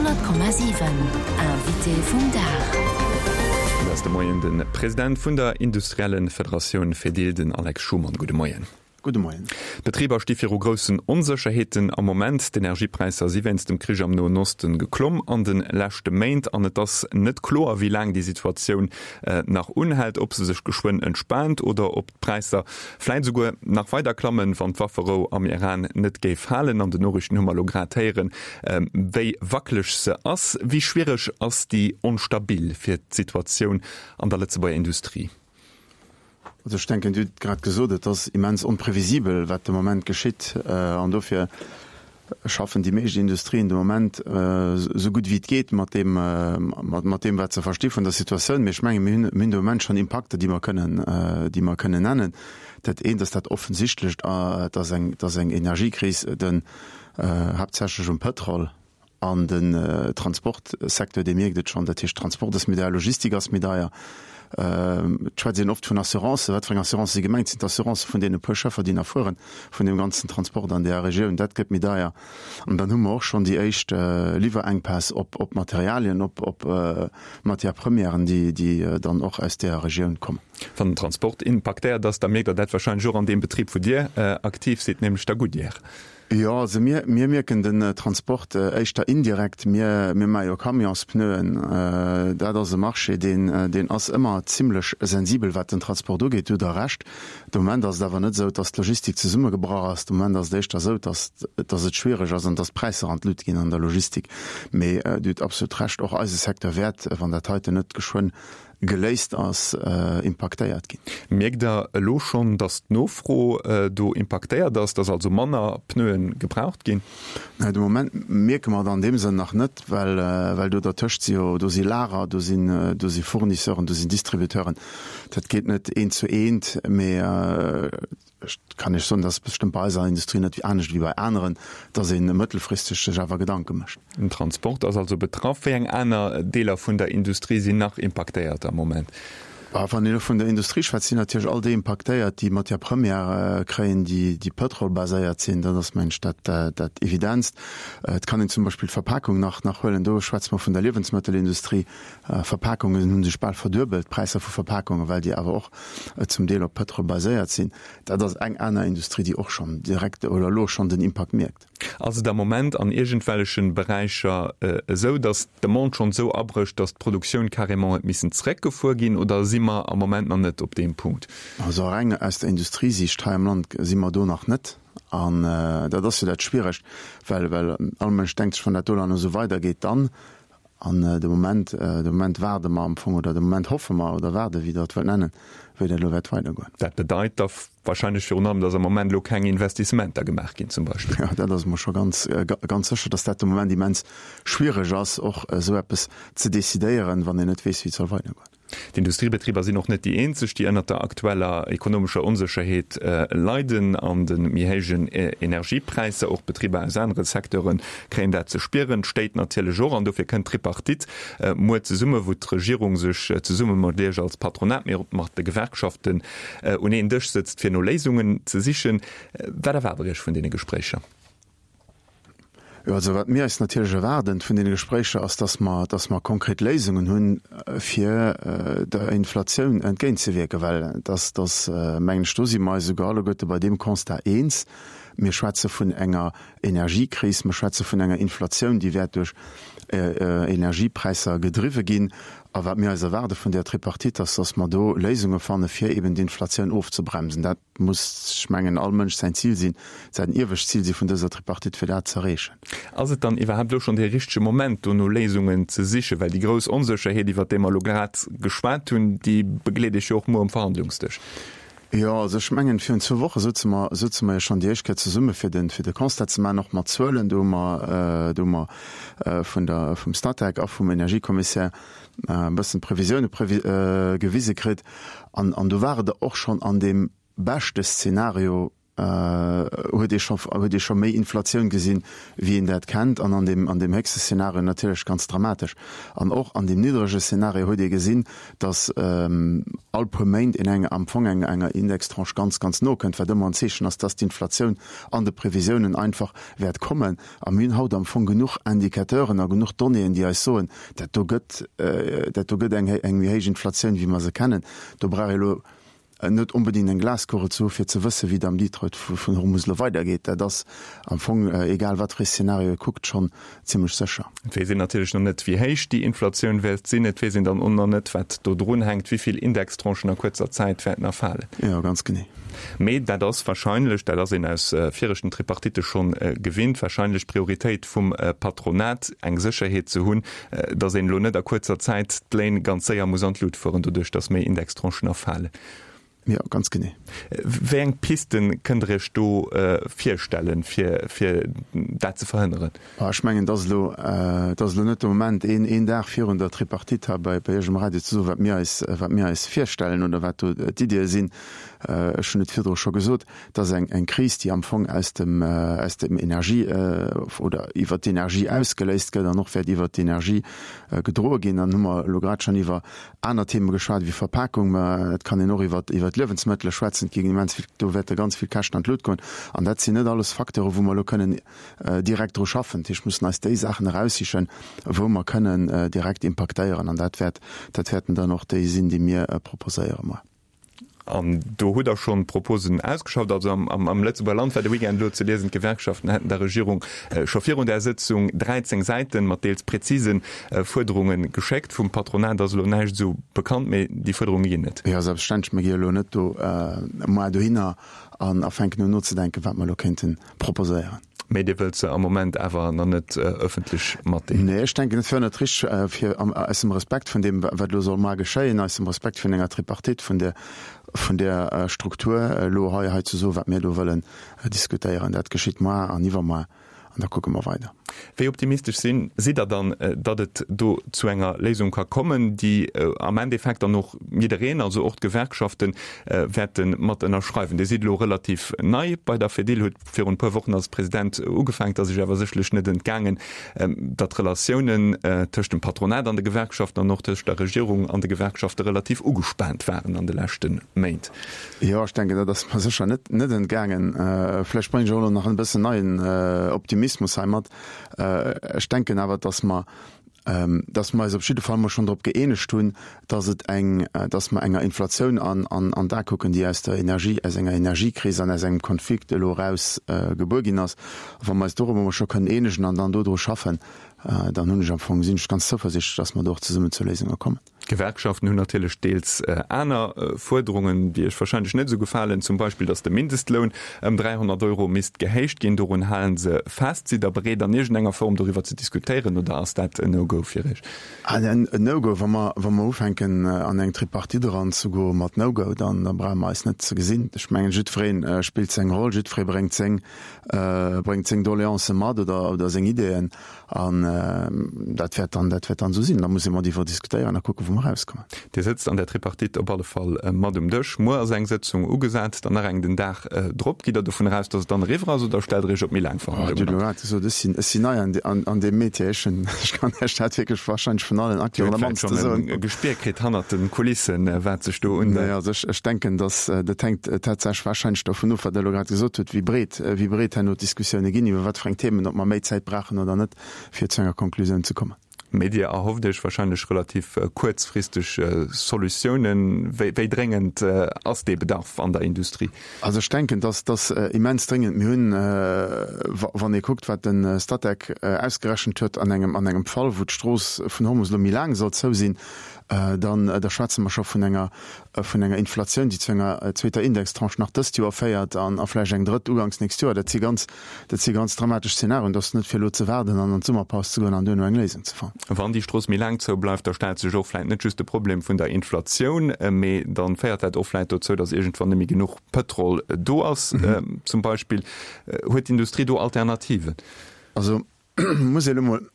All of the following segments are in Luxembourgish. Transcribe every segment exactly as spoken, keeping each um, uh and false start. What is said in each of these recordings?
Honnert Komma siwen, Invité vum Dag. Dat ass de Moien de President vun der Industriellen Federatioun Fedil, den Alex Schumann. Gudde Moien. Gudde Moien. D'Betriber sti viru groussen Onsécherheeten am Moment. D'Energiepräisser si wéinst dem Krich am Noen Osten geklomm an de leschte Méint an et ass net kloer, wéi laang déi Situatioun nach unhält, ob se sech geschwënn entspaant oder ob d'Präisser vläit esouguer nach weider klammen, wann d'Wafferou am Iran net géif halen. An den Noriichten hu mer elo grad héieren, wéi wackeleg se ass. Wéi schwiereg ass déi onstabil fir d'Situatioun an der Lëtzebuerger Industrie? Also ech denken, Dir hutt grad gesot, et ass immens onprevisibel, wat de Moment geschitt. An dofir schaffen déi meescht Industrien de Moment esou gutt wéi et geet mat deem, mat deem, wat se versti vun der Situatioun. Mee ech menge mir hunn, mir hunn de Moment schonn Impakter, déi mer kënnen, déi mer kënnen nennen. Dat eent ass dat Offensichtlecht, dass eng, dass eng Energiekris den, haaptsächlech um Pëtrol, An den Transportsecteur, dee mierkt et schonn. Dat heescht, Transport ass méi deier, Logistik ass méi deier. Et schwätzt een oft vun Assurancen. Wat fir eng Assurancë si gemengt? Sinn d'Assurancë vun deene puer Schëffer, déi nach fueren, vun deem ganzen Transport an där Regioun? Dat gëtt méi deier. An dann hu mer och schonn déi éischt Liwwerenkpäss op Materialien, op Matière-premièren, déi dann och aus där Regioun kommen. Wann den Transport impaktéiert ass, da mierkt Der dat warscheinlech och an deem Betrib, wou Dir aktiv sidd, nämlech der Goodyear. Jo, also mir, mir mierken den Transport éischter indirekt. Mir, mir maache jo Camionspneuen. Dat ass e Marché, deen, deen ass ëmmer zimlech sensibel, wat den Transport ugeet. Do hutt Der Recht. De Moment ass et awer net esou, dass d'Logistik zesummegebrach ass. De Moment ass et éischter esou, dass, dass et schwiereg ass an dass d'Präisser an d'Lut ginn an der Logistik. Mee Dir hutt absolut Recht, och eise Secteur wäert, wann dat heiten net geschwënn geléist ass, impaktéiert ginn. Mierkt Der elo schonn, datt d'Nofro do impaktéiert ass, datt also manner Pneue gebraucht ginn? Nee, de Moment mierke mer et an deem Sënn nach net, well well do dertëscht si jo, do si Lager, do sinn do si Fournisseuren, do sinn Distributeuren. Dat geet net eent zu eent, mee Ech kann Iech soen, dat ass bestëmmt bei eiser Industrie net anescht wéi bei aneren, dass ee mëttelfristeg sech awer Gedanke mécht. Den Transport ass also betraff. Wéi eng aner Deeler vun der Industrie sinn nach impaktéiert am Moment? Wann een elo vun der Industrie schwätzt, sinn natierlech all déi impaktéiert, déi Matière première kréien, déi pëtrolbaséiert sinn. Dat ass, mengen ech, dat Evidentst. Et kann een zum Beispill d'Verpakung nach huelen. Do schwätze mer vun der Liewensmëttelindustrie. Verpakungen hu sech bal verduebelt, d'Präisser vu Verpakungen, well déi awer och zum Deel op Pëtrol baséiert sinn. Dat ass eng aner Industrie, déi och schonn direkt oder elo schonn den Impakt mierkt. Ass et am Moment an iergendwelleche Beräicher esou, datt d'Demande schonn esou abrécht, datt d'Produktioun carrément huet missen zeréckgefuer ginn, oder si mer am Moment nach net op deem Punkt? Also reng aus der Industriesiicht hei am Land si mer do nach net. An dat ass jo dat Schwieregt, well well all Mënsch denkt sech, wann dat do dann esou weidergeet, dann. An de Moment, de Moment waarde mer am Fong, oder de Moment hoffe mer oder waarden, wéi Der et wëllt nennen, wéi dat elo wäert weidergoen. Dat bedeit da wahrscheinlech virun allem, dass am Moment elo keng Investissementer gemaach ginn zum Beispill. Jo, dat ass emol scho ganz, ganz sécher, dass dat de Moment immens schwiereg ass, och esou eppes ze decidéieren, wann een net weess, wéi et soll weidergoen. D'Industriebetriber sinn och net déi eenzeg, déi ënnert der aktueller ekonomescher Onsécherheet leiden an de méi héijen Energiepräisser. Och Betriber aus anere Secteure kréien dat ze spieren, d'Stéit natierlech och. An dofir kënnt d'Tripartite muer zesumme, wou d'Regierung sech zesumme mat Iech als Patronat, mee och mat de Gewerkschaften un een Dësch sëtzt, fir no Léisungen ze sichen. Wat erwaart Der Iech vun deene Gespréicher? Jo, also wat mir eis natierlech erwaarden vun deene Gespréicher ass, dass mer, dass mer konkret Léisungen hunn, fir der Inflatioun entgéintzewierken, well dass, dass mengen ech, do si mer eis esouguer alleguerte bei deem Constat eens, Mir schwätze vun enger Energiekris, mer schwätze vun enger Inflatioun, déi wäert duerch Energiepräisser gedriwwe ginn. A wat mir eis erwaarde vun där Tripartite ass, dass mer do Léisunge fanne fir eben d'Inflatioun ofzebremsen. Dat muss, ech mengen, all Mënsch säin Zil sinn, säin iewescht Zil si vun dëser Tripartite, fir dat ze erreechen. Ass et dann iwwerhaapt elo schonn dee richtege Moment, do no Léisungen ze sichen? Well déi grouss Onsécherheet, iwwert déi mer elo grad geschwat hunn, déi begleet Iech jo och muer um Verhandlungsdësch. Jo, also ech mengen, virun zwou Woche souze mer, souze mer jo schonn déi éischt Kéier zesumme fir de, fir de Constat ze maachen, och mat Zuelen. Do hu mer, do hu mer vun der, vum Statec a vum Energiekommissär e bëssen d'Previsioune gewise kritt. An, an do war et och schonn an deem beschte Szenario huet ee scho, huet ee scho méi Inflatioun gesinn, wéi een dat kennt, an an deem, an deem héchste Szenario natierlech ganz dramatesch. An och an deem niddrege Szenario huet ee gesinn, datt all puer Méint een eng, am Fong eng, enger Indextranche ganz, ganz no kënnt, wat ëmmer en Zeechen ass, datt d'Inflatioun an de Previsiounen einfach wäert kommen. A mir hunn haut am Fong genuch Indicateuren a genuch Donnéeën, déi eis soen, dat do gëtt, dat do gëtt eng, eng méi héich Inflatioun, wéi mer se kennen. Do brauch ee elo net onbedéngt eng Glaskugel ze hu fir ze wëssen, wéi et am Detroit vun Hormuz elo weidergeet. Dat ass am Fong, egal wat fir ee Szenario ee kuckt, schonn zimlech sécher. Et weess een natierlech nach net, wéi héich déi Inflatioun wäert sinn. Et weess een dann och nach net, wat do drun hänkt, wéi vill Indextranchen a kuerzer Zäit wäerten erfalen. Jo, ganz genee. Mee dat ass warscheinlech, dat ass een aus viregten Tripartitte schonn gewinnt, warscheinlech d'Prioritéit vum Patronat, eng Sécherheet ze hunn, datt een elo net a kuerzer Zäit d'Léin ganz séier muss an d'Lut fueren, doduerch datt méi Indextranchen erfalen. Jo, ganz genee. Wéi eng Piste kënnt Der Iech do virstellen, fir, fir dat ze verhënneren? Ech mengen, et ass elo, et ass elo net de Moment, een, een Dag virun der Tripartite hei bei, bei Iech um Radio ze soen, wat mir eis, wat mir eis virstellen oder wat do d'Iddie sinn. Ech hunn et virdru scho gesot, et ass eng, eng Kris, déi am Fong aus dem, aus dem Energie oder iwwert d'Energie ausgeléist gëtt an och wäert iwwert d'Energie gedroe ginn. Dann hu mer elo grad schonn iwwer aner Theme geschwat wéi Verpakung, mä et kann een och iwwer, iwwer d'Liewensmëttele schwätzen. Et ginn immens vill, do wäerte ganz vill Käschten an d'Lut goen. An dat sinn net alles Facteure wou mer elo kënnen direkt dru schaffen. Dat heescht, mussen eis déi Saachen eraussichen, wou mer kënnen direkt impaktéieren. An dat wäert, dat wäerten dann och déi sinn, déi mir proposéiere muer. An do hutt Der schonn Proposen ausgeschafft. Also am Lëtzebuerger Land war de Weekend elo ze liesen, d'Gewerkschaften hätten der Regierung scho virun där Sëtzung dräizéng Säiten mat deels präzise Fuerderunge geschéckt. Vum Patronat ass elo näischt esou bekannt, mee déi Fuerderunge ginn et. Jo, selbstverständlech. Mir gi elo net do muer dohinner an a fänken un nozedenken, wat mer elo kéinte proposéieren. Mee Dir wëllt se am Moment awer nach net ëffentlech matdeelen? Nee, ech denken, et wär net richteg, fir aus dem Respekt vun deem, wat elo soll mar geschéien, aus dem Respekt vun enger Tripartite, vun där, vun där Struktur, elo hei, hei ze soen, wat mir do wëllen diskutéieren. Dat geschitt mar an iwwermar an da kucke mer weider. Wéi optimistesch sinn, sidd Der dann, datt et do zu enger Léisung ka kommen, déi am Endeffekt dann och jiddereen, also och d'Gewerkschaften, wäerte mat ënnerschreiwen? Dir sidd elo relativ nei bei der Fedil, hutt virun e puer Wochen als President ugefaangen. Et ass Iech awer sécherlech net entgaangen, datt d'Relatiounen tëscht dem Patronat an de Gewerkschaften an och tëscht der Regierung an de Gewerkschafte relativ ugespaant waren an de leschte Méint. Jo, ech denken, dat ass mer sécher net net entgaangen. Vläicht bréngen ech och elo nach en bëssen neien Optimismus hei mat. Ech denken awer, dass mer, dass mer eis op jidde Fall mol schonn drop gëeenegt hunn, dass et eng, dass mer enger Inflatioun an an an d'A kucken, déi aus der Energie, aus enger Energiekris an aus engem Konflikt elo eraus gebuer ginn ass. Wa mer eis dorobber mol scho kënnen eenegen an dann dodru schaffen, dann hunn ech am Fong, sinn ech ganz zouversichtlech, dass mer do och zesummen zu Léisunge kommen. D'Gewerkschaften hunn natierlech deels aner Fuerderungen, déi Iech warscheinlech net esou gefalen, zum Beispill, datt de Mindestloun ëm dräihonnert Euro misst gehéicht ginn. Dorun hale se fest. Sidd Der bereet, an iergendenger Form doriwwer ze diskutéieren oder ass dat en No-Go fir Iech? En No-Go. Wa mer, wa mer ufänken, an eng Tripartite eranzegoe mat No-Go, dann da brauche mer eis net ze gesinn. Ech mengen, jiddweree spillt seng Roll, jiddweree bréngt seng, bréngt seng Doleancë mat oder, oder seng Ideeën. An dat wäert dann, dat wäert dann esou sinn. Da muss ee mat iwwer diskutéieren a kucken, wou mer erauskommen. Dir sëtzt an der Tripartite op alle Fall mat um Dësch. Muer ass eng Sëtzung ugesat, dann nach eng den Dag drop. Gitt Der dovun eraus, datt et dann eriwwer ass oder stellt Der Iech op méi laang Verhandlungen an? Dir hutt elo grad gesot, ech sinn, ech sinn nei an, an, an deem Metier. Ech hunn, ech kann Iech dat wierklech warscheinlech vun allen Acteuren am mannste soen. Dir hutt vläicht schonn e Gespier kritt hannert de Kulissen, wat sech do un. Nee, also ech, ech denken, datt, dat hänkt tatsächlech warscheinlech dovun of, wat Der elo grad gesot hutt, wéi breet, wéi breet herno d'Diskussioune ginn, iwwer wat fir eng Themen, ob mer méi Zäit brauchen oder net, fir zu enger Konklusioun ze kommen. Mee Dir erhofft Iech wahrscheinlech relativ kuerzfristeg Solutiounen. Wéi dréngend ass dee Bedarf an der Industrie? Also ech denken, dass dass immens dréngend. Mir hunn, wann ee kuckt, wat de Statec ausgerechent huet an engem an engem Fall, wou d'Strooss vun Hormus elo méi laang soll zou sinn, dann da schwätze mer scho vun enger vun enger Inflatioun, déi zu enger zweeter Indextranche nach dëst Joer féiert an a vläicht eng drëtt uganks nächst Joer. Dat si ganz, dat si ganz dramatesch Szenarien. Et ass net fir elo ze waarden an an d'Summerpaus ze goen an duerno eng Léisung ze fannen. Wann déi Strooss méi laang zou bleift, da stellt sech och vläicht net just de Problem vun der Inflatioun, mee dann féiert dat och vläicht dozou, datt iergendwann net méi genuch Pëtrol do ass zum Beispill. Huet d'Industrie do Alternativen? Also muss ee elo mol,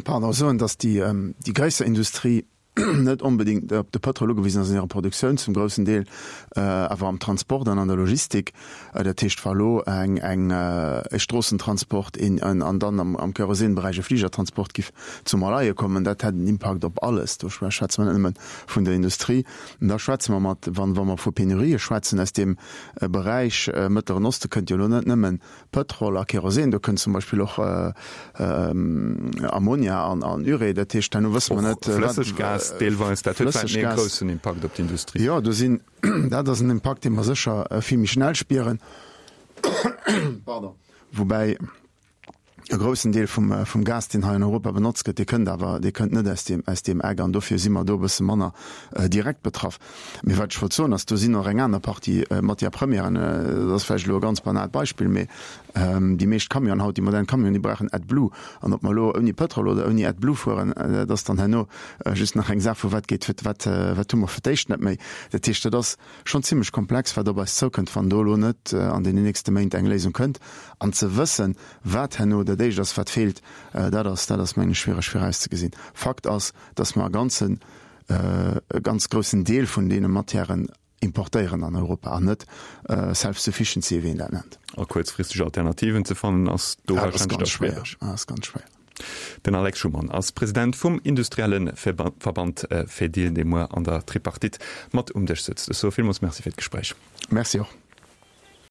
pardon, soen, datt déi, déi gréisser Industrie, net onbedéngt op de Pëtrol ugewisen ass an hirer Produktioun, zum groussen Deel awer am Transport an an der Logistik. Dat heescht, wa elo eng, eng, e Stroossentransport in, an dann am, am Kerosinberäich e Fligertransport giff zum Erleie kommen, dat hätt en Impakt op alles. Do schwätze mer net nëmme vun der Industrie. An da schwätze mer mat, wann, wa mer vu Penurië schwätzen aus deem Beräich Mëttleren Oste, kënnt jo elo net nëmmen Pëtrol a Kerosin, do kënnt zum Beispill och Ammonia an Urée. Dat heescht, herno wësse mer net, wat. Flësseggas deelweis, dat huet vläicht méi e groussen Impakt op d'Industrie. Jo, do sinn, dat ass en Impakt, dee mer sécher vill méi schnell spieren. Pardon. Woubäi e groussen Deel vum, vum Gas, deen hei an Europa benotzt gëtt, dee kënnt awer, dee kënnt net aus deem, aus deem Eck an dofir si mer do e bësse manner direkt betraff. Mee wat ech wollt soen ass, do sinn och eng aner Partie Matières premièren, dat ass vläicht elo e ganz banaalt Beispill, mee déi meescht Camionen haut, déi modern Camionen, déi brauchen AdBlue. An ob mer elo ouni Pëtrol oder ouni AdBlue fueren, dat ass dann herno just nach eng Saach vu wat geet, wat, wat hu mer fir d'éischt net méi. Dat heescht, dat ass schonn zimlech komplex, wat op eis zoukënnt, wann do elo net an deenen nächste Méint eng Léisung kënnt. An ze wëssen, wat herno dat Éischt ass, wat feelt, dat ass, dat ass, mengen ech, schwiereg virauszegesinn. Fakt ass, dass mer e ganzen, e ganz groussen Deel vun deene Matièren importéieren an Europa an net self-sufficiency, wéi een dat nennt. A kuerzfristeg Alternativen ze fannen, ass do warscheinlech da schwiereg. Dat ass ganz schwéier. Den Alex Schumann ass President vum industrielle Verband Fedil, dee muer an der Tripartite mat um Dësch sëtzt. Ech soe villmools Merci fir d'Gespréich. Merci och.